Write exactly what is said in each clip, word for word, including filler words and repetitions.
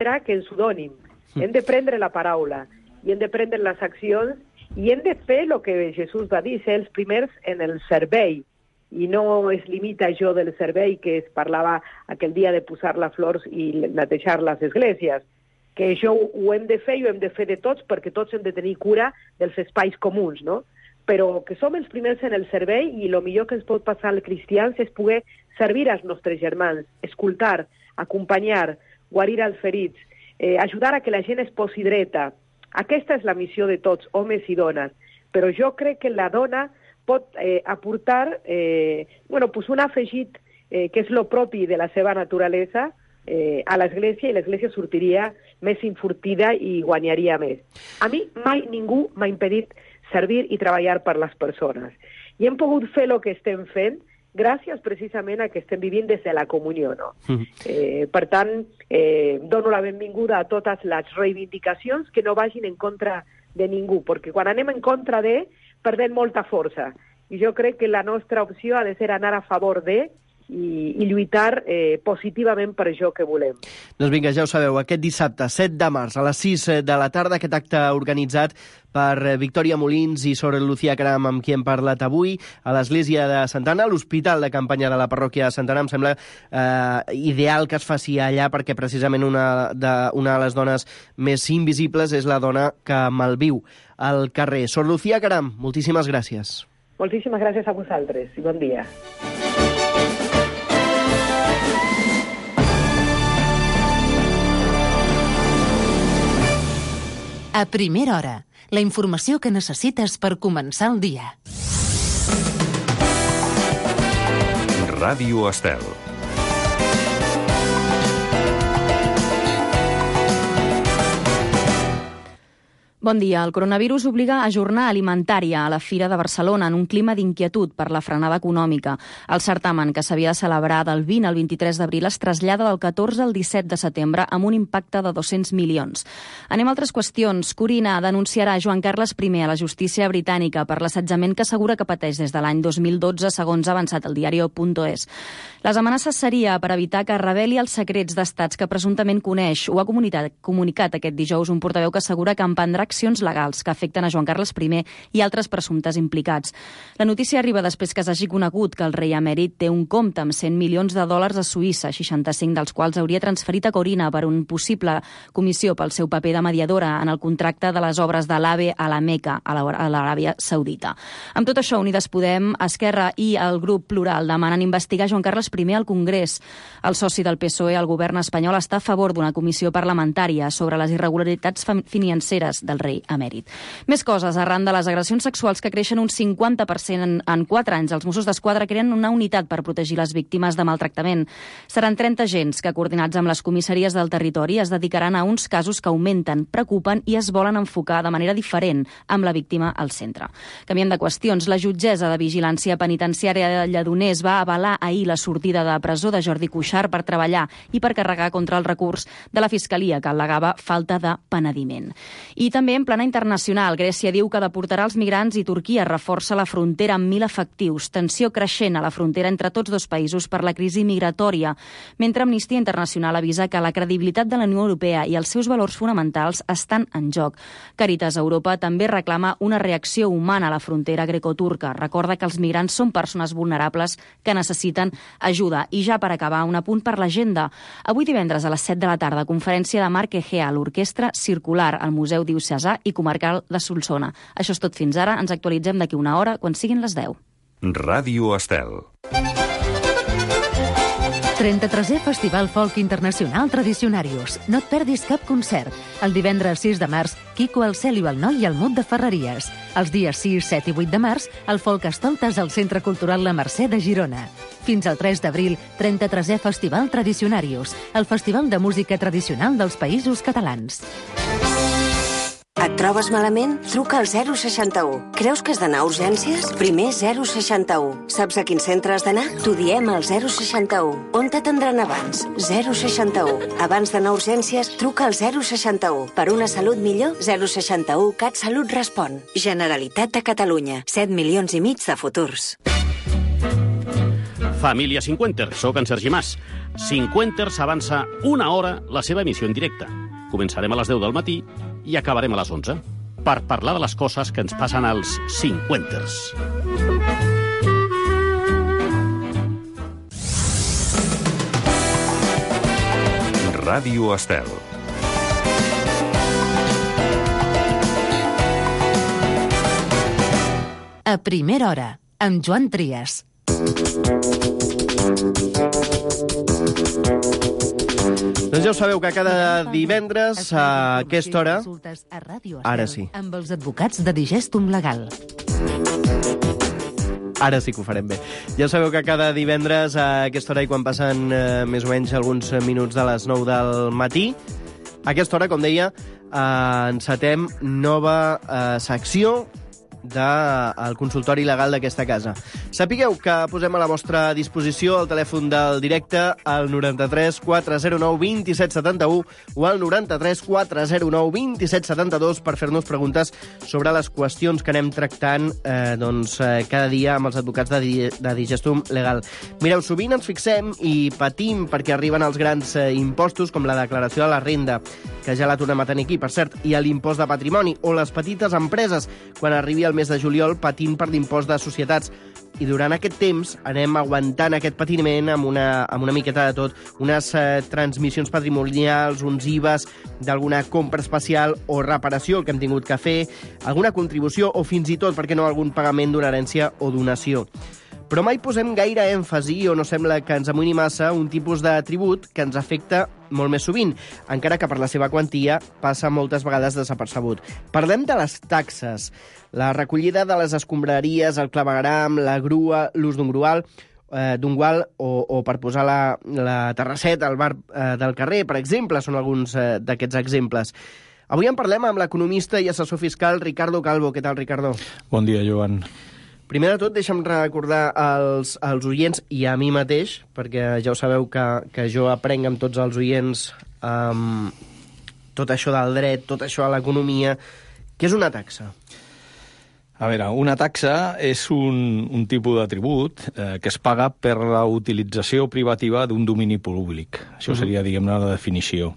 serà que ens ho donin. Hem de prendre la paraula i hem de prendre les accions i hem de fer el que Jesús va dir, ser els primers en el servei. I no es limita a això del servei que es parlava aquell dia de posar les flors i netejar les esglésies, que això ho hem de fer i ho hem de fer de tots perquè tots hem de tenir cura dels espais comuns, no? Però que som els primers en el servei i el millor que ens pot passar als cristians és poder servir als nostres germans, escoltar, acompanyar, guarir els ferits, eh, ajudar a que la gent es posi dreta. Aquesta és la missió de tots, homes i dones. Però jo crec que la dona pot eh, aportar eh, bueno, pues un afegit eh, que és lo propi de la seva naturalesa eh, a l'Església, i l'Església sortiria més enfortida i guanyaria més. A mi mai ningú m'ha impedit servir i treballar per les persones. I hem pogut fer el que estem fent gràcies precisament a que estem vivint des de la comunió, no? Mm. Eh, per tant, eh, dono la benvinguda a totes les reivindicacions que no vagin en contra de ningú, perquè quan anem en contra de, perdem molta força. I jo crec que la nostra opció ha de ser anar a favor de i, i lluitar eh, positivament per això que volem. Doncs vinga, ja ho sabeu, aquest dissabte, set de març, a les sis de la tarda, aquest acte organitzat per Victòria Molins i Sor Lucía Caram, amb qui hem parlat avui, a l'església de Santa Anna, a l'hospital de campanya de la parròquia de Santa Anna. Em sembla eh, ideal que es faci allà perquè precisament una de, una de les dones més invisibles és la dona que malviu al carrer. Sor Lucía Caram, moltíssimes gràcies. Moltíssimes gràcies a vosaltres i bon dia. A primera hora, la informació que necessites per començar el dia. Ràdio Estel. Bon dia. El coronavirus obliga a jornada alimentària a la Fira de Barcelona en un clima d'inquietud per la frenada econòmica. El certamen, que s'havia de celebrar del vint al vint-i-tres d'abril, es trasllada del catorze al disset de setembre amb un impacte de dos-cents milions. Anem a altres qüestions. Corina denunciarà Joan Carles primer a la justícia britànica per l'assetjament que assegura que pateix des de l'any dos mil dotze, segons ha avançat el diario punto es. Les amenaces seria per evitar que reveli els secrets d'estats que presumptament coneix. Ho ha comunicat, comunicat aquest dijous un portaveu que assegura que emprendrà accions legals que afecten a Joan Carles primer i altres presumptes implicats. La notícia arriba després que s'hagi conegut que el rei emèrit té un compte amb cent milions de dòlars a Suïssa, seixanta-cinc dels quals hauria transferit a Corina per un possible comissió pel seu paper de mediadora en el contracte de les obres de l'AVE a la Meca, a l'Aràbia Saudita. Amb tot això, Unides Podem, Esquerra i el grup Plural demanen investigar Joan Carles primer al Congrés. El soci del P S O E al govern espanyol està a favor d'una comissió parlamentària sobre les irregularitats financeres del rei emèrit. Més coses. Arran de les agressions sexuals que creixen un cinquanta per cent en, en quatre anys, els Mossos d'Esquadra creen una unitat per protegir les víctimes de maltractament. Seran trenta agents que, coordinats amb les comissaries del territori, es dedicaran a uns casos que augmenten, preocupen i es volen enfocar de manera diferent amb la víctima al centre. Canviem de qüestions. La jutgessa de Vigilància Penitenciària de Lledoners va avalar ahir la sortida de presó de Jordi Cuixart per treballar i per carregar contra el recurs de la Fiscalia que al·legava falta de penediment. I també en plana internacional, Grècia diu que deportarà els migrants i Turquia reforça la frontera amb mil efectius. Tensió creixent a la frontera entre tots dos països per la crisi migratòria, mentre Amnistia Internacional avisa que la credibilitat de la Unió Europea i els seus valors fonamentals estan en joc. Càritas Europa també reclama una reacció humana a la frontera greco-turca. Recorda que els migrants són persones vulnerables que necessiten ajuda. I ja per acabar, un apunt per l'agenda. Avui divendres a les set de la tarda, conferència de Marc Egea, l'Orquestra Circular, al Museu Diocesà i Comarcal de Solsona. Això és tot fins ara. Ens actualitzem d'aquí una hora quan siguin les deu. Ràdio Estel. trenta-tresè Festival Folk Internacional Tradicionarius. No et perdis cap concert. El divendres sis de març, Quico el Cel i el Noi i el Mut de Ferreries. Els dies sis, set i vuit de març, el Folk Estoltes al Centre Cultural La Mercè de Girona. Fins al tres d'abril, trenta-tresè Festival Tradicionarius, el festival de música tradicional dels Països Catalans. Et trobes malament? Truca al zero seixanta-u. Creus que has d'anar a urgències? Primer zero seixanta-u. Saps a quin centre has d'anar? T'ho diem al zero seixanta-u. On t'atendran abans? zero seixanta-u. Abans d'anar a urgències, truca al zero seixanta-u. Per una salut millor, zero seixanta-u. CatSalut respon. Generalitat de Catalunya. set milions i mig de futurs. Família Cinquenter, soc en Sergi Mas. Cinquenter s'avança una hora la seva emissió en directe. Començarem a les deu del matí i acabarem a les onze, per parlar de les coses que ens passen als Cinquenters. Ràdio Estel. A primera hora, amb Joan Trias. Doncs ja ho sabeu que cada divendres a aquesta hora... Ara sí. Amb els advocats de Digestum Legal. Ara sí que ho farem bé. Ja sabeu que cada divendres a aquesta hora i quan passen eh, més o menys alguns minuts de les nou del matí, a aquesta hora, com deia, eh, encetem nova eh, secció del consultori legal d'aquesta casa. Sapigueu que posem a la vostra disposició el telèfon del directe al noranta-tres quatre zero nou vint set setanta-u o al noranta-tres quatre zero nou vint set setanta-dos per fer-nos preguntes sobre les qüestions que anem tractant eh, doncs, eh, cada dia amb els advocats de, di de Digestum Legal. Mireu, sovint ens fixem i patim perquè arriben els grans eh, impostos com la declaració de la renda, que ja la tornem a tenir aquí, per cert, i l'impost de patrimoni, o les petites empreses, quan arribi el mes de juliol patint per l'impost de societats. I durant aquest temps anem aguantant aquest patiment amb una, amb una miqueta de tot, unes eh, transmissions patrimonials, uns I V As d'alguna compra especial o reparació que hem tingut que fer, alguna contribució o fins i tot, per què no, algun pagament d'una herència o donació. Però mai posem gaire èmfasi o no sembla que ens amoïni massa un tipus de tribut que ens afecta molt més sovint, encara que per la seva quantia passa moltes vegades desapercebut. Parlem de les taxes, la recollida de les escombraries, el clavegueram, la grua, l'ús d'un grual, eh, d'un gual o, o per posar la, la terrasseta al bar eh, del carrer, per exemple, són alguns eh, d'aquests exemples. Avui en parlem amb l'economista i assessor fiscal Ricardo Calvo. Què tal, Ricardo? Bon dia, Joan. Primer de tot, deixa'm recordar als, als oients i a mi mateix, perquè ja ho sabeu que, que jo aprenc amb tots els oients um, tot això del dret, tot això de l'economia. Què és una taxa? A veure, una taxa és un, un tipus de tribut eh, que es paga per la utilització privativa d'un domini públic. Això seria, diguem-ne, la definició.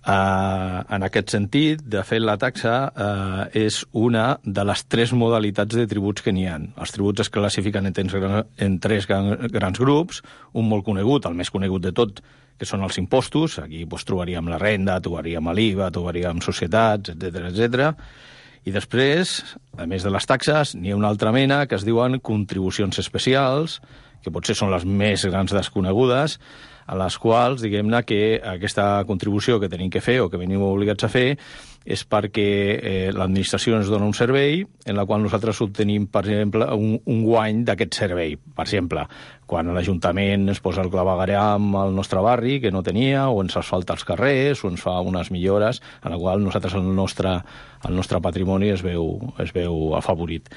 Uh, en aquest sentit, de fet, la taxa uh, és una de les tres modalitats de tributs que n'hi ha. Els tributs es classifiquen en tres, en tres grans grups, un molt conegut, el més conegut de tot, que són els impostos. Aquí doncs, trobaríem la renda, trobaríem l'I V A, trobaríem societats, etcètera, etcètera. I després, a més de les taxes, n'hi ha una altra mena que es diuen contribucions especials, que potser són les més grans desconegudes, a les quals, diguem-ne, que aquesta contribució que tenim que fer o que venim obligats a fer és perquè eh, l'administració ens dona un servei en la qual nosaltres obtenim, per exemple, un, un guany d'aquest servei. Per exemple, quan l'Ajuntament ens posa el clavegueram al nostre barri, que no tenia, o ens asfalta els carrers, o ens fa unes millores, en la qual nosaltres el nostre, el nostre patrimoni es veu, es veu afavorit.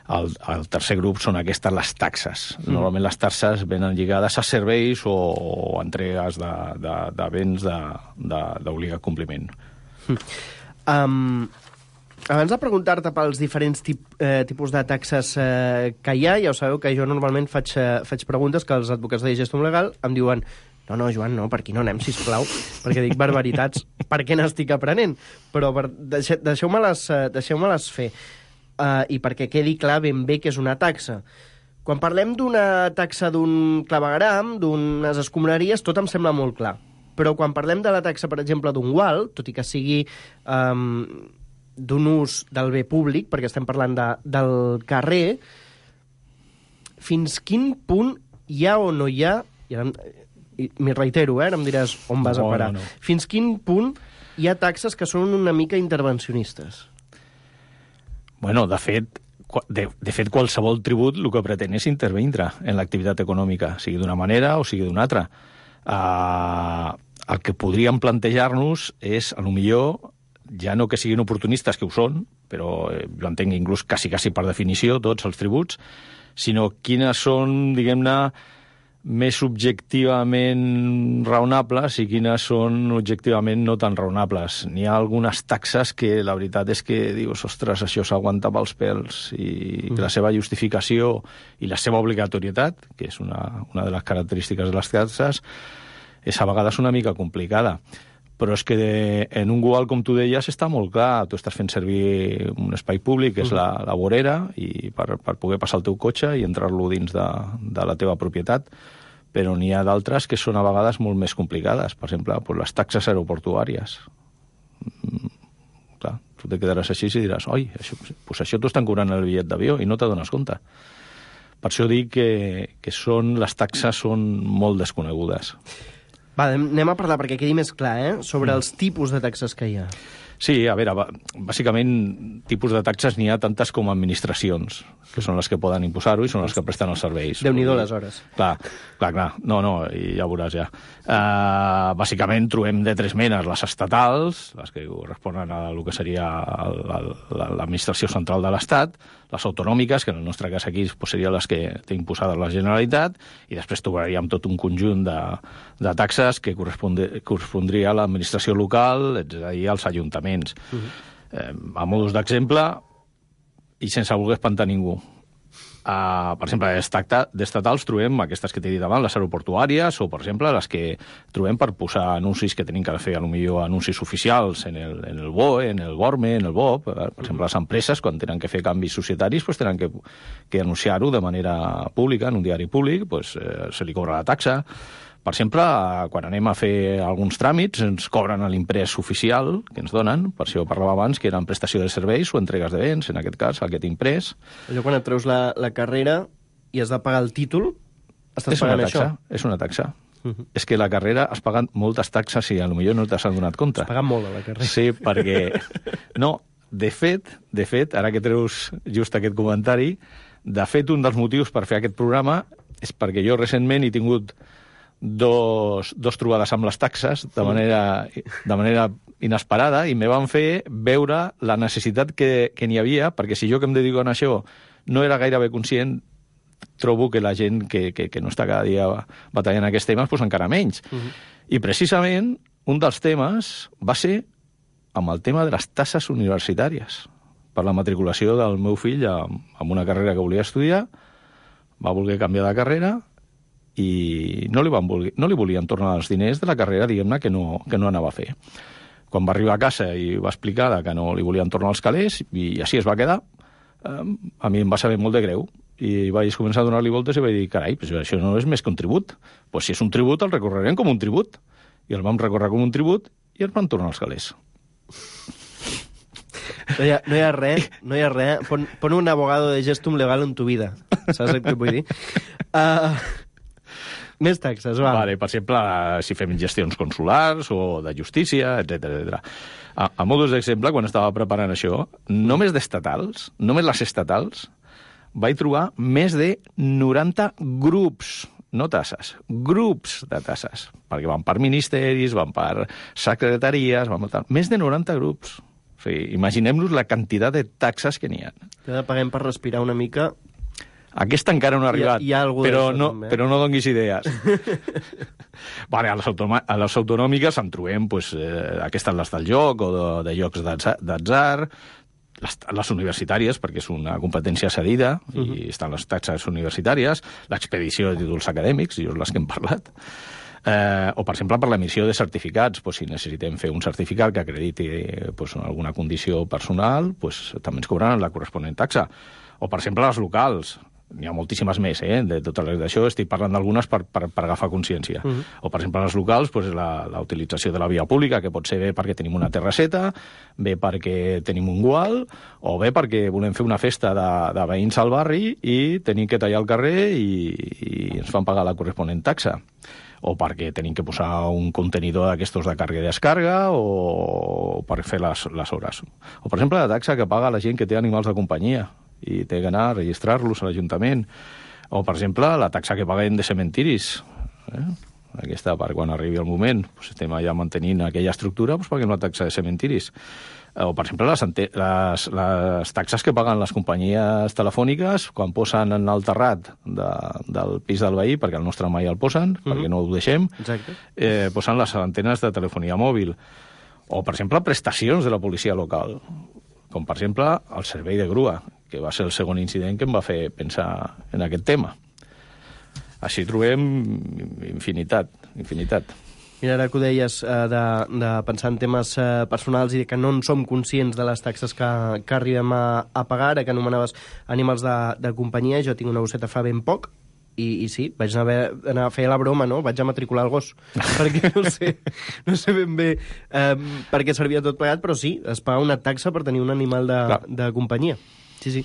El, el tercer grup són aquestes les taxes. Normalment les taxes venen lligades a serveis o, o entregues de, de, de béns d'obligat compliment. Um, abans de preguntar-te pels diferents tip, eh, tipus de taxes eh, que hi ha, ja ho sabeu que jo normalment faig, eh, faig preguntes que els advocats de Digestum Legal em diuen no, no, Joan, no, per aquí no anem, sisplau, perquè dic barbaritats, per què n'estic aprenent? Però per, deixe, deixeu-me-les eh, deixeu-me-les fer. Uh, i perquè quedi clar ben bé que és una taxa. Quan parlem d'una taxa d'un clavegueram, d'unes escombraries, tot em sembla molt clar. Però quan parlem de la taxa, per exemple, d'un gual, tot i que sigui um, d'un ús del bé públic, perquè estem parlant de, del carrer, fins quin punt hi ha o no hi ha, i ara m'hi reitero, eh, ara em diràs on vas no, a parar, no, no. Fins quin punt hi ha taxes que són una mica intervencionistes? Bueno, de fet, de, de fet, qualsevol tribut el que pretén és intervindre en l'activitat econòmica, sigui d'una manera o sigui d'una altra. Uh, el que podríem plantejar-nos és, a lo millor, ja no que siguin oportunistes, que ho són, però eh, jo entenc inclús quasi, quasi per definició tots els tributs, sinó quines són, diguem-ne, més objectivament raonables i quines són objectivament no tan raonables. N'hi ha algunes taxes que la veritat és que dius, ostres, això s'aguanta pels pèls, i mm. la seva justificació i la seva obligatorietat, que és una, una de les característiques de les taxes, és a vegades una mica complicada. Però és que de, en un Google, com tu deies, està molt clar. Tu estàs fent servir un espai públic, que és la, la vorera, i per, per poder passar el teu cotxe i entrar-lo dins de, de la teva propietat. Però n'hi ha d'altres que són a vegades molt més complicades. Per exemple, pues, les taxes aeroportuàries. Mm, clar, tu te quedaràs així i diràs, oi, això, pues això t'ho estan cobrant el bitllet d'avió i no t'adones compte. Per això dic que, que són, les taxes són molt desconegudes. Va, anem a parlar, perquè quedi més clar, eh? sobre els tipus de taxes que hi ha. Sí, a veure, bàsicament, tipus de taxes n'hi ha tantes com administracions, que són les que poden imposar-ho i són les que presten els serveis. Déu-n'hi-do les hores. Clar, clar, clar. No, no, i ja veuràs ja. Uh, bàsicament trobem de tres menes: les estatals, les que corresponen a el que seria l'administració central de l'Estat, les autonòmiques, que en el nostre cas aquí pues, serien les que té imposades la Generalitat, i després trobaríem tot un conjunt de, de taxes que correspondria a l'administració local, és a dir, als ajuntaments. Uh-huh. eh, a modus d'exemple, i sense voler espantar ningú. Uh, per exemple, d'estatals trobem aquestes que t'he dit abans, les aeroportuàries, o, per exemple, les que trobem per posar anuncis que tenim que fer, potser anuncis oficials en el, en el B O E, en el BORME, en el B O P. Per exemple, les empreses, quan tenen que fer canvis societaris, pues, tenen que, que anunciar-ho de manera pública, en un diari públic, pues, eh, se li cobra la taxa. Per exemple, quan anem a fer alguns tràmits, ens cobren l'imprès oficial que ens donen, per això parlava abans, que eren prestació de serveis o entregues de béns, en aquest cas, aquest imprès. Allò quan et treus la, la carrera i has de pagar el títol, estàs és pagant una taxa, això? És una taxa. Uh-huh. És que la carrera has pagat moltes taxes i potser no t'has adonat compte. Has pagat molt a la carrera. Sí, perquè... No, de fet, de fet, ara que treus just aquest comentari, de fet, un dels motius per fer aquest programa és perquè jo recentment he tingut dos, dos trobades amb les taxes de manera, de manera inesperada, i me van fer veure la necessitat que, que n'hi havia, perquè si jo que em dedico a això no era gairebé conscient, trobo que la gent que, que, que no està cada dia batallant aquests temes, doncs encara menys. Uh-huh. I precisament un dels temes va ser amb el tema de les taxes universitàries. Per la matriculació del meu fill amb una carrera que volia estudiar, va voler canviar de carrera i no li, van voler, no li volien tornar els diners de la carrera, diguem-ne, que no, que no anava a fer. Quan va arribar a casa i va explicar que no li volien tornar els calés, i així es va quedar, eh, a mi em va saber molt de greu. I vaig començar a donar-li voltes i vaig dir, carai, però això no és més que un tribut. Pues si és un tribut, el recorrerem com un tribut. I el vam recórrer com un tribut i ens van tornar els calés. No hi ha, no hi ha res, no hi ha res. Pon, pon un abogado de gestum legal en tu vida. Saps el que vull dir? Uh... Més taxes, va. Vale, per exemple, si fem gestions consulars o de justícia, etcètera etcètera. A, a modus d'exemple, quan estava preparant això, només d'estatals, només les estatals, vaig trobar més de noranta grups, no tasses, grups de tasses, perquè van per ministeris, van per secretaries, van per... més de noranta grups. O sigui, imaginem-nos la quantitat de taxes que n'hi ha. Que paguem per respirar una mica... Aquesta encara no ha arribat, hi ha, hi ha però, no, també, eh? però no donguis idees. Vale, a, les a les autonòmiques en trobem pues, eh, aquestes les del joc o de, de jocs d'atzar, les, les universitàries, perquè és una competència cedida, uh-huh. i estan les taxes universitàries, l'expedició de títols acadèmics, i les que hem parlat, eh, o, per exemple, per l'emissió de certificats. Pues, si necessitem fer un certificat que acrediti pues, alguna condició personal, pues, també ens cobraran la corresponent taxa. O, per exemple, les locals. N'hi ha moltíssimes més, eh? De totes les d'això, estic parlant d'algunes per, per, per agafar consciència. Uh-huh. O, per exemple, en els locals, pues, la, la utilització de la via pública, que pot ser bé perquè tenim una terrasseta, bé perquè tenim un gual, o bé perquè volem fer una festa de, de veïns al barri i tenim que tallar el carrer i, i ens fan pagar la corresponent taxa. O perquè tenim que posar un contenidor d'aquestos de càrrega i descàrrega, o per fer les, les hores. O, per exemple, la taxa que paga la gent que té animals de companyia i té que anar a registrar-los a l'Ajuntament. O, per exemple, la taxa que paguem de cementiris. Eh? aquesta per quan arribi el moment, pues, estem allà mantenint aquella estructura, pues, paguem la taxa de cementiris. O, per exemple, les, les, les taxes que paguen les companyies telefòniques quan posen en el terrat de, del pis del veí, perquè el nostre mai el posen, mm-hmm. perquè no ho deixem, eh, posen les antenes de telefonia mòbil. O, per exemple, prestacions de la policia local, com, per exemple, el servei de grua, que va ser el segon incident que em va fer pensar en aquest tema. Així trobem infinitat, infinitat. Mira, ara que ho deies, eh, de, de pensar en temes eh, personals i que no en som conscients de les taxes que, que arribem a, a pagar, ara que anomenaves animals de, de companyia, jo tinc una gosseta fa ben poc, i, i sí, vaig anar, anar a fer la broma, no? Vaig a matricular el gos, perquè no sé, no sé ben bé eh, per què servia tot plegat, però sí, es paga una taxa per tenir un animal de, de companyia. Sí, sí.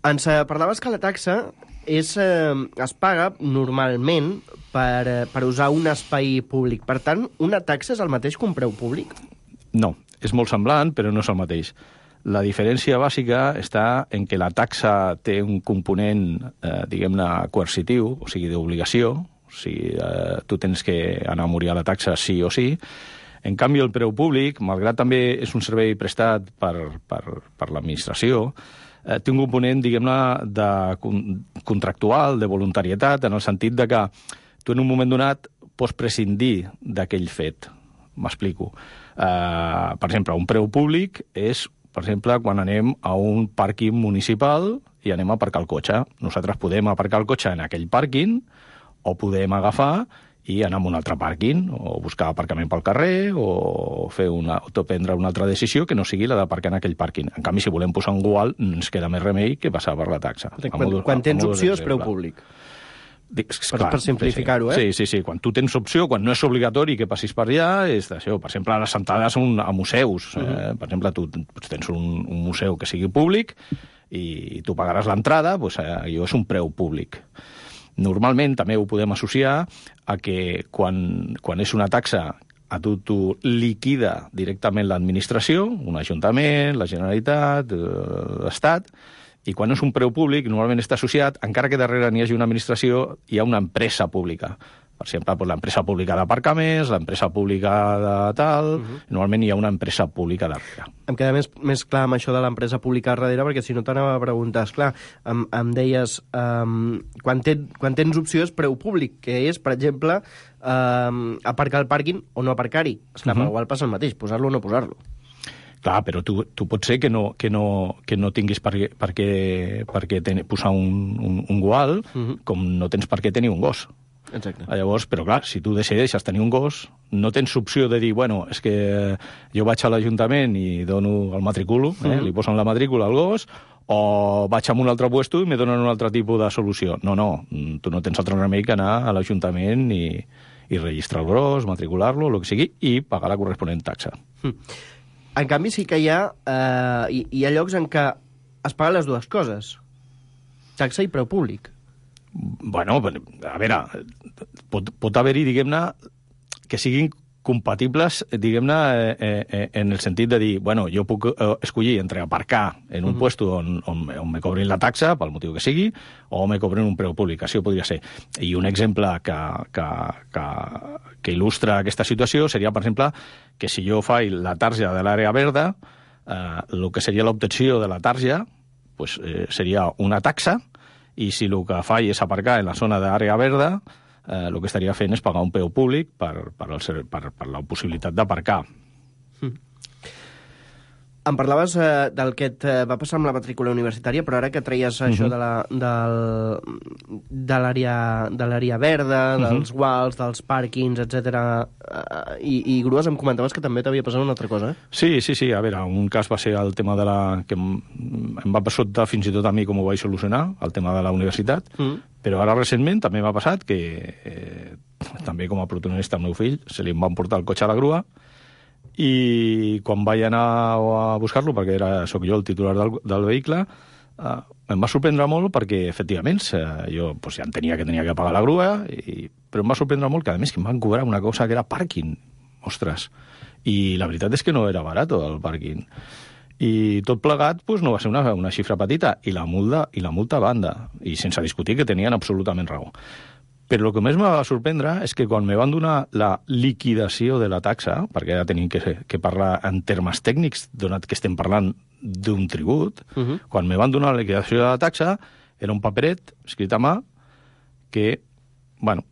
Ens eh, parlaves que la taxa és, eh, es paga normalment per, eh, per usar un espai públic. Per tant, una taxa és el mateix que un preu públic? No, és molt semblant, però no és el mateix. La diferència bàsica està en que la taxa té un component, eh, diguem-ne, coercitiu, o sigui, d'obligació, o sigui, eh, tu tens que anar a morir a la taxa sí o sí. En canvi, el preu públic, malgrat també és un servei prestat per, per, per l'administració, eh, té un component, diguem-ne, de contractual, de voluntarietat, en el sentit de que tu en un moment donat pots prescindir d'aquell fet. M'explico. Eh, per exemple, un preu públic és, per exemple, quan anem a un pàrquing municipal i anem a aparcar el cotxe. Nosaltres podem aparcar el cotxe en aquell pàrquing o podem agafar i anar a un altre pàrquing, o buscar aparcament pel carrer, o fer una, o prendre una altra decisió que no sigui la d'aparcar en aquell pàrquing. En canvi, si volem posar un gual, ens queda més remei que passar per la taxa. Quan, modo, quan tens opció és preu públic. Dic, per, clar, per simplificar-ho, eh? Sí, sí, sí. Quan tu tens opció, quan no és obligatori que passis per allà, és d'això. Per exemple, les sentades un, a museus. Uh -huh. eh? Per exemple, tu tens un, un museu que sigui públic i tu pagaràs l'entrada, doncs, eh, allò és un preu públic. Normalment també ho podem associar a que quan, quan és una taxa a tu, tu liquida directament l'administració, un ajuntament, la Generalitat, l'Estat, i quan és un preu públic, normalment està associat, encara que darrere n'hi hagi una administració, hi ha una empresa pública. Per exemple, doncs, l'empresa pública d'aparcaments, l'empresa pública de tal... Uh -huh. Normalment hi ha una empresa pública darrere. Em queda més, més clar amb això de l'empresa pública darrere, perquè si no t'anava a preguntar, esclar, em, em deies, um, quan, ten, quan tens opció és preu públic, que és, per exemple, um, aparcar al pàrquing o no aparcar-hi. Esclar, uh -huh. igual passa el mateix, posar-lo o no posar-lo. Clar, però tu, tu pot ser que no, que no, que no tinguis per què, per què, per què ten, posar un, un, un gual, uh -huh. com no tens per què tenir un gos. Exacte. Llavors, però clar, si tu decideixes tenir un gos, no tens opció de dir, bueno, és que jo vaig a l'Ajuntament i dono el matriculo, eh, uh -huh. li posen la matrícula al gos, o vaig a un altre puesto i me donen un altre tipus de solució. No, no, tu no tens altre remei que anar a l'Ajuntament i, i registrar el gos, matricular-lo, el que sigui, i pagar la corresponent taxa. Uh -huh. En canvi, sí que hi ha, eh, hi, hi ha llocs en què es paguen les dues coses, taxa i preu públic. Bueno, a veure, pot, pot haver-hi, diguem-ne, que siguin compatibles, diguem-ne, eh, eh, en el sentit de dir, bueno, jo puc eh, escollir entre aparcar en un uh -huh. puesto on, on, on me cobrin la taxa, pel motiu que sigui, o me cobrin un preu públic, això podria ser. I un exemple que, que, que, que il·lustra aquesta situació seria, per exemple, que si jo faig la tarja de l'àrea verda, eh, el que seria l'obtenció de la tarja pues, eh, seria una taxa, i si el que faig és aparcar en la zona d'àrea verda, eh, el que estaria fent és pagar un preu públic per, per, el, per, per la possibilitat d'aparcar. Mm. Em parlaves eh, del que et eh, va passar amb la matrícula universitària, però ara que treies uh -huh. això de la, del, de l'àrea de l'àrea verda, uh -huh. dels guals, dels pàrquings, etcètera, eh, i, i grues, em comentaves que també t'havia passat una altra cosa, eh? Sí, sí, sí. A veure, un cas va ser el tema de la... que em, em va passar fins i tot a mi com ho vaig solucionar, el tema de la universitat, uh -huh. però ara recentment també m'ha passat que, eh, també com a protagonista el meu fill, se li van portar el cotxe a la grua, i quan vaig anar a buscar-lo, perquè era, soc jo el titular del, del vehicle, eh, em va sorprendre molt perquè, efectivament, eh, jo pues, ja entenia que tenia que pagar la grua, i, però em va sorprendre molt que, a més, que em van cobrar una cosa que era pàrquing. Ostres! I la veritat és que no era barat el pàrquing. I tot plegat pues, no va ser una, una xifra petita, i la multa, i la multa a banda, i sense discutir que tenien absolutament raó. Però el que més me va sorprendre és que quan me van donar la liquidació de la taxa, perquè ja tenim que, que parlar en termes tècnics, donat que estem parlant d'un tribut, uh -huh. quan me van donar la liquidació de la taxa, era un paperet escrit a mà que, bueno,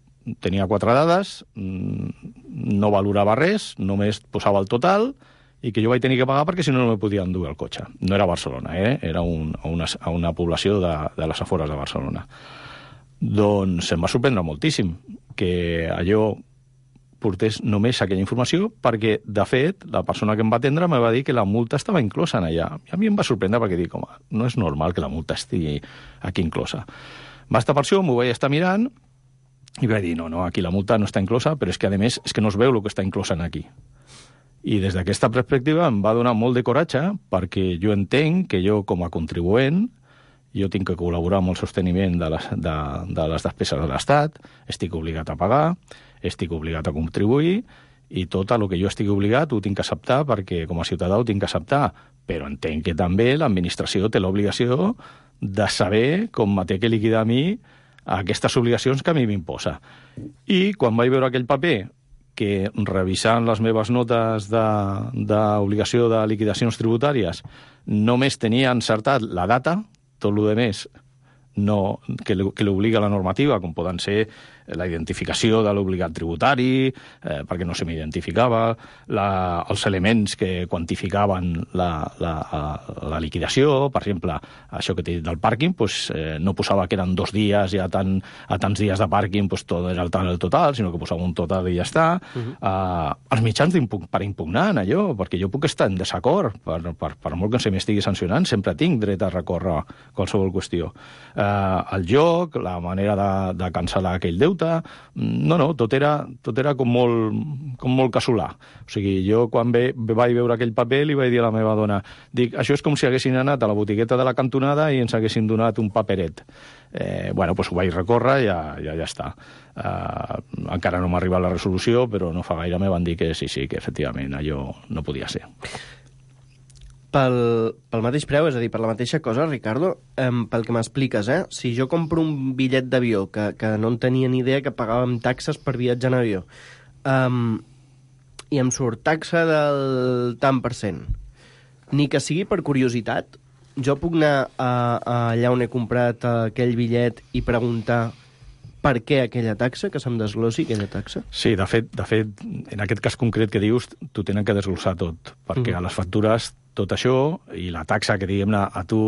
tenia quatre dades, no valorava res, només posava el total, i que jo vaig tenir que pagar perquè si no no me podia endur el cotxe. No era a Barcelona, eh? Era un, a, una, a una població de, de les afores de Barcelona. Doncs em va sorprendre moltíssim que allò portés només aquella informació perquè, de fet, la persona que em va atendre me va dir que la multa estava inclosa en allà. I a mi em va sorprendre perquè dic, home, no és normal que la multa estigui aquí inclosa. Va estar per això, m'ho vaig estar mirant i vaig dir, no, no, aquí la multa no està inclosa, però és que, a més, és que no es veu el que està inclosa en aquí. I des d'aquesta perspectiva em va donar molt de coratge perquè jo entenc que jo, com a contribuent, jo tinc que col·laborar amb el sosteniment de les, de, de les despeses de l'Estat, estic obligat a pagar, estic obligat a contribuir, i tot el que jo estigui obligat ho tinc que acceptar perquè com a ciutadà ho tinc que acceptar. Però entenc que també l'administració té l'obligació de saber com me té que liquidar a mi aquestes obligacions que a mi m'imposa. I quan vaig veure aquell paper que, revisant les meves notes d'obligació de, de liquidacions tributàries, només tenia encertat la data, tot el que més no, que l'obliga la normativa, com poden ser la identificació de l'obligat tributari, eh, perquè no se m'identificava, els elements que quantificaven la, la, la liquidació, per exemple, això que t'he dit del pàrquing, pues, eh, no posava que eren dos dies i a, tant, a tants dies de pàrquing pues, tot era el tant el total, sinó que posava un total i ja està. Uh-huh. eh, els mitjans per impugnar en allò, perquè jo puc estar en desacord, per, per, per molt que se m'estigui sancionant, sempre tinc dret a recórrer qualsevol qüestió. Eh, el joc, la manera de, de cancel·lar aquell deute, no, no, tot era, tot era com, molt, com molt casolà. O sigui, jo quan ve, vaig veure aquell paper li vaig dir a la meva dona, dic, això és com si haguessin anat a la botigueta de la cantonada i ens haguessin donat un paperet. Eh, bueno, doncs ho vaig recórrer i ja, ja, ja està. Eh, encara no m'ha arribat la resolució, però no fa gaire me van dir que sí, sí, que efectivament allò no podia ser. Pel, pel mateix preu, és a dir, per la mateixa cosa, Ricardo, um, pel que m'expliques, eh? Si jo compro un bitllet d'avió, que, que no en tenia ni idea que pagàvem taxes per viatjar en avió, um, i em surt taxa del tant per cent, ni que sigui per curiositat, jo puc anar a, a allà on he comprat aquell bitllet i preguntar per què aquella taxa, que se'm desglossi aquella taxa? Sí, de fet, de fet, en aquest cas concret que dius, t'ho tenen que desglossar tot, perquè mm. a les factures tot això i la taxa que, diguem-ne, a tu...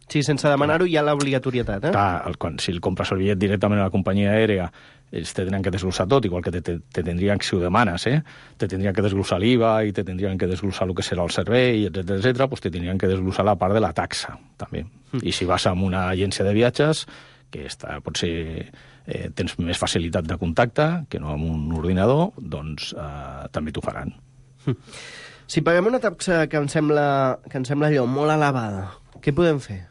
Sí, sense demanar-ho hi ha l'obligatorietat, eh? Clar, el, quan, si el compres el bitllet directament a la companyia aèria, ells te tenen que desglossar tot, igual que te, te, te tindrien, si ho demanes, eh? Te tindrien que desglossar l'I V A i te tindrien que desglossar el que serà el servei, etcètera, etcètera, doncs te tindrien que desglossar la part de la taxa, també. Mm. I si vas a una agència de viatges, que està, potser eh, tens més facilitat de contacte que no amb un ordinador, doncs eh, també t'ho faran. Mm. Si paguem una taxa que em sembla, que em sembla allò molt elevada, què podem fer?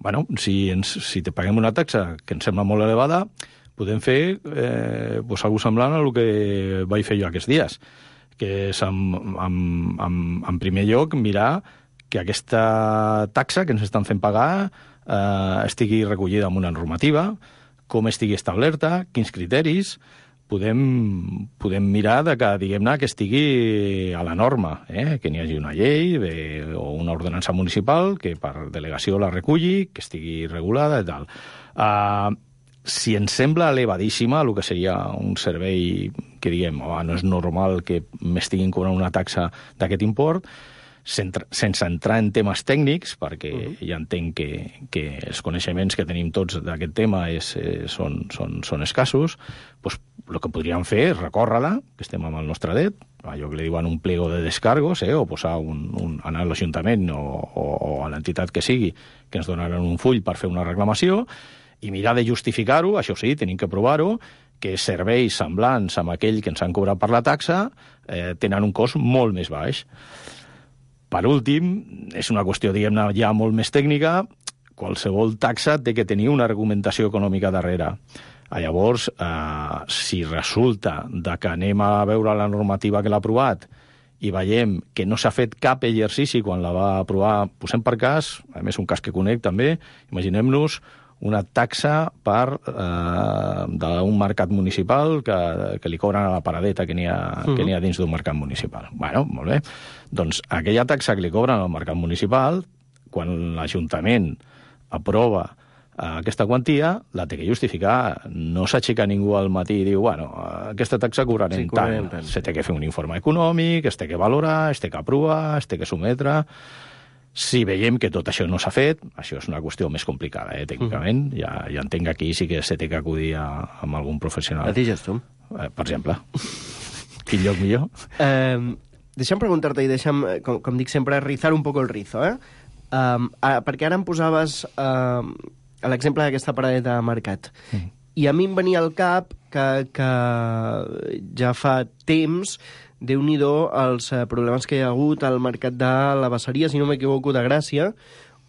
Bueno, si, ens, si te paguem una taxa que ens sembla molt elevada, podem fer eh, pues, algo semblant a el que vaig fer jo aquests dies, que és, en, en, en, en primer lloc, mirar que aquesta taxa que ens estan fent pagar eh, estigui recollida en una normativa, com estigui establerta, quins criteris... Podem, podem mirar de que, diguem-ne, que estigui a la norma, eh? Que n'hi hagi una llei de, o una ordenança municipal que per delegació la reculli, que estigui regulada i tal. Uh, si ens sembla elevadíssima el que seria un servei que diguem, oh, no és normal que m'estiguin cobrant una taxa d'aquest import, sense entrar en temes tècnics, perquè uh-huh. ja entenc que, que els coneixements que tenim tots d'aquest tema és, eh, són, són, són escassos, doncs el que podríem fer és recórrer-la, que estem amb el nostre dret, allò que li diuen un pliego de descargos, eh, o posar un, un, anar a l'Ajuntament o, o, o a l'entitat que sigui, que ens donaran un full per fer una reclamació, i mirar de justificar-ho, això sí, tenim que provar-ho, que serveis semblants amb aquell que ens han cobrat per la taxa eh, tenen un cost molt més baix. Per últim, és una qüestió, diguem-ne, ja molt més tècnica, qualsevol taxa té que tenir una argumentació econòmica darrere. Llavors, eh, si resulta de que anem a veure la normativa que l'ha aprovat i veiem que no s'ha fet cap exercici quan la va aprovar, posem per cas, a més un cas que conec també, imaginem-nos una taxa per eh, d'un mercat municipal que, que li cobren a la paradeta que n'hi ha, uh-huh. que n'hi ha dins d'un mercat municipal. Bueno, molt bé. Doncs aquella taxa que li cobren al mercat municipal, quan l'Ajuntament aprova eh, aquesta quantia, la té que justificar. No s'aixeca ningú al matí i diu, bueno, aquesta taxa cobrarem sí, tant. tant. Se té que fer un informe econòmic, es té que valorar, es té que aprovar, es té que sometre... Si veiem que tot això no s'ha fet, això és una qüestió més complicada, eh, tècnicament. Uh-huh. Ja, ja entenc que aquí sí que se té que acudir a, a algun professional. A Digestum. Eh, per exemple. Quin lloc millor? Eh, deixa'm preguntar-te i deixa'm, com, com dic sempre, rizar un poco el rizo, eh? Um, ah, perquè ara em posaves uh, l'exemple d'aquesta paradeta de mercat. Uh-huh. I a mi em venia al cap que, que ja fa temps... Déu-n'hi-do els eh, problemes que hi ha hagut al mercat de la Basseria, si no m'equivoco, de Gràcia,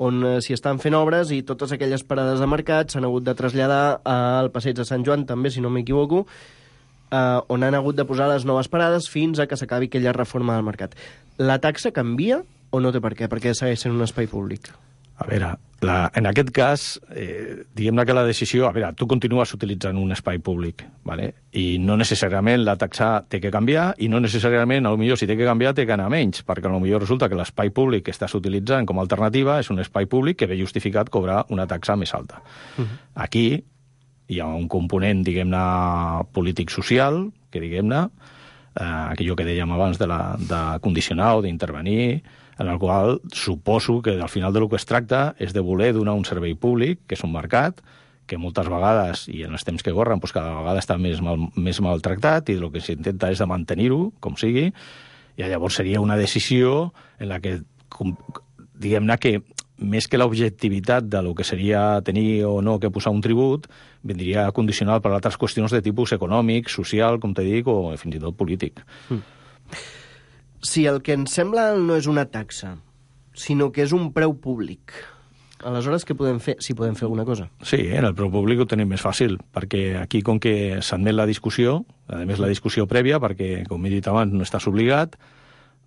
on eh, s'hi estan fent obres i totes aquelles parades de mercat s'han hagut de traslladar al passeig de Sant Joan, també, si no m'equivoco, eh, on han hagut de posar les noves parades fins a que s'acabi aquella reforma del mercat. La taxa canvia o no té per què? Perquè segueix sent un espai públic. A veure, la, en aquest cas, eh, diguem-ne que la decisió... A veure, tu continues utilitzant un espai públic, ¿vale? I no necessàriament la taxa té que canviar i no necessàriament, potser si té que canviar, té que anar menys, perquè potser resulta que l'espai públic que estàs utilitzant com a alternativa és un espai públic que ve justificat cobrar una taxa més alta. Uh-huh. Aquí hi ha un component, diguem-ne, polític-social, que diguem-ne, eh, aquello que dèiem abans de, la, de condicionar o d'intervenir, en el qual suposo que al final del que es tracta és de voler donar un servei públic, que és un mercat, que moltes vegades, i en els temps que corren, doncs cada vegada està més, mal, més maltractat, i el que s'intenta és de mantenir-ho, com sigui, i llavors seria una decisió en la que, diguem-ne que, més que l'objectivitat de lo que seria tenir o no que posar un tribut, vindria condicionat per altres qüestions de tipus econòmic, social, com te dic, o fins i tot polític. Mm. Si el que ens sembla no és una taxa, sinó que és un preu públic, aleshores què podem fer, si podem fer alguna cosa? Sí, en el preu públic ho tenim més fàcil, perquè aquí, com que s'admet la discussió, a més la discussió prèvia, perquè, com he dit abans, no estàs obligat,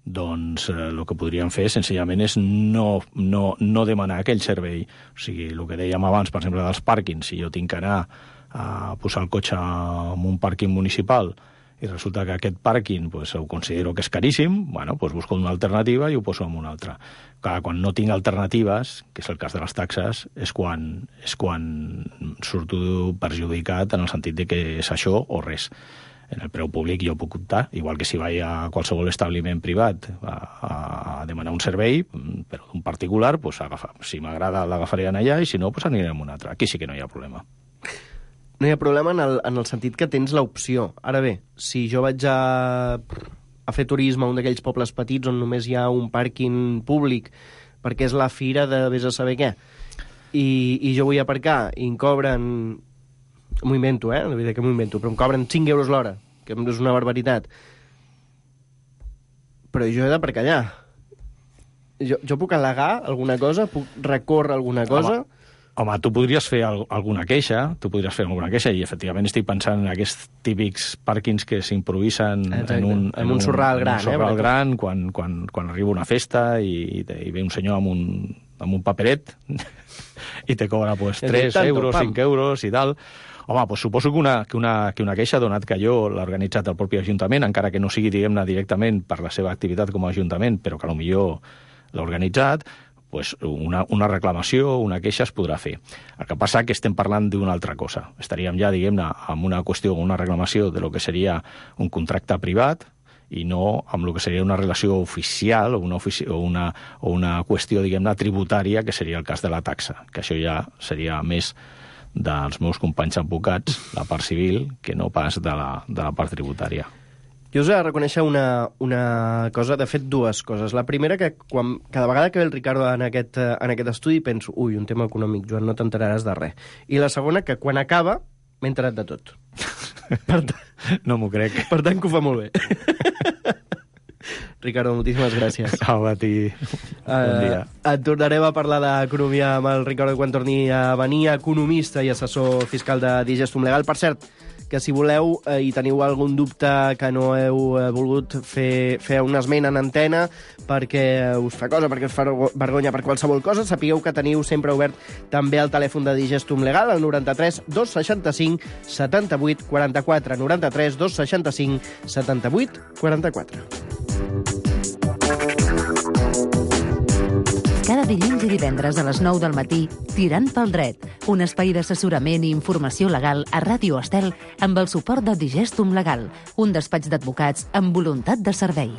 doncs eh, el que podríem fer senzillament és no, no, no demanar aquell servei. O sigui, el que dèiem abans, per exemple, dels pàrquings, si jo tinc que anar a posar el cotxe en un pàrquing municipal i resulta que aquest pàrquing pues, ho considero que és caríssim, bueno, pues busco una alternativa i ho poso en una altra. Clar, quan no tinc alternatives, que és el cas de les taxes, és quan, és quan surto perjudicat en el sentit de que és això o res. En el preu públic jo puc optar, igual que si vaig a qualsevol establiment privat a, a demanar un servei, però d'un particular, pues, agafa. Si m'agrada l'agafaré allà i si no, pues, aniré en un altre. Aquí sí que no hi ha problema. No hi ha problema en el, en el sentit que tens l'opció. Ara bé, si jo vaig a, a fer turisme a un d'aquells pobles petits on només hi ha un pàrquing públic perquè és la fira de vés a saber què, i, i jo vull aparcar i em cobren... M'ho invento, eh? La veritat que m'ho invento, però em cobren cinc euros l'hora, que és una barbaritat. Però jo he d'aparcar allà. Jo, jo puc al·legar alguna cosa? Puc recórrer alguna cosa? Home. Home, tu podries fer alguna queixa, tu podries fer alguna queixa, i efectivament estic pensant en aquests típics pàrquings que s'improvisen en un, en, en un sorral gran, un sorral eh, gran quan, quan, quan arriba una festa i, i ve un senyor amb un, amb un paperet i te cobra pues, tres euros, cinc euros i tal. Home, pues suposo que una, que, una, que una queixa, donat que jo l'ha organitzat el propi Ajuntament, encara que no sigui, diguem-ne, directament per la seva activitat com a Ajuntament, però que potser l'ha organitzat, pues una, una reclamació, una queixa es podrà fer. El que passa és que estem parlant d'una altra cosa. Estaríem ja, diguem-ne, amb una qüestió, una reclamació de lo que seria un contracte privat i no amb el que seria una relació oficial o una, ofici o una, o una qüestió, diguem-ne, tributària, que seria el cas de la taxa, que això ja seria més dels meus companys advocats, la part civil, que no pas de la, de la part tributària. Jo us he de reconèixer una, una cosa, de fet, dues coses. La primera, que quan, cada vegada que ve el Ricardo en aquest, en aquest estudi penso, ui, un tema econòmic, Joan, no t'enteraràs de res. I la segona, que quan acaba m'he enterat de tot. Per no m'ho crec. Per tant, que ho fa molt bé. Ricardo, moltíssimes gràcies. Au, a ti. Bon dia. Uh, et tornarem a parlar d'economia amb el Ricardo quan torni a venir, economista i assessor fiscal de Digestum Legal. Per cert, que si voleu eh, i teniu algun dubte que no heu eh, volgut fer, fer un esment en antena perquè us fa cosa, perquè us fa vergonya per qualsevol cosa, sapigueu que teniu sempre obert també el telèfon de Digestum Legal, el noranta-tres dos seixanta-cinc setanta-vuit quaranta-quatre, noranta-tres dos seixanta-cinc setanta-vuit quaranta-quatre. Cada dilluns i divendres a les nou del matí, Tirant pel dret, un espai d'assessorament i informació legal a Ràdio Estel amb el suport de Digestum Legal, un despatx d'advocats amb voluntat de servei.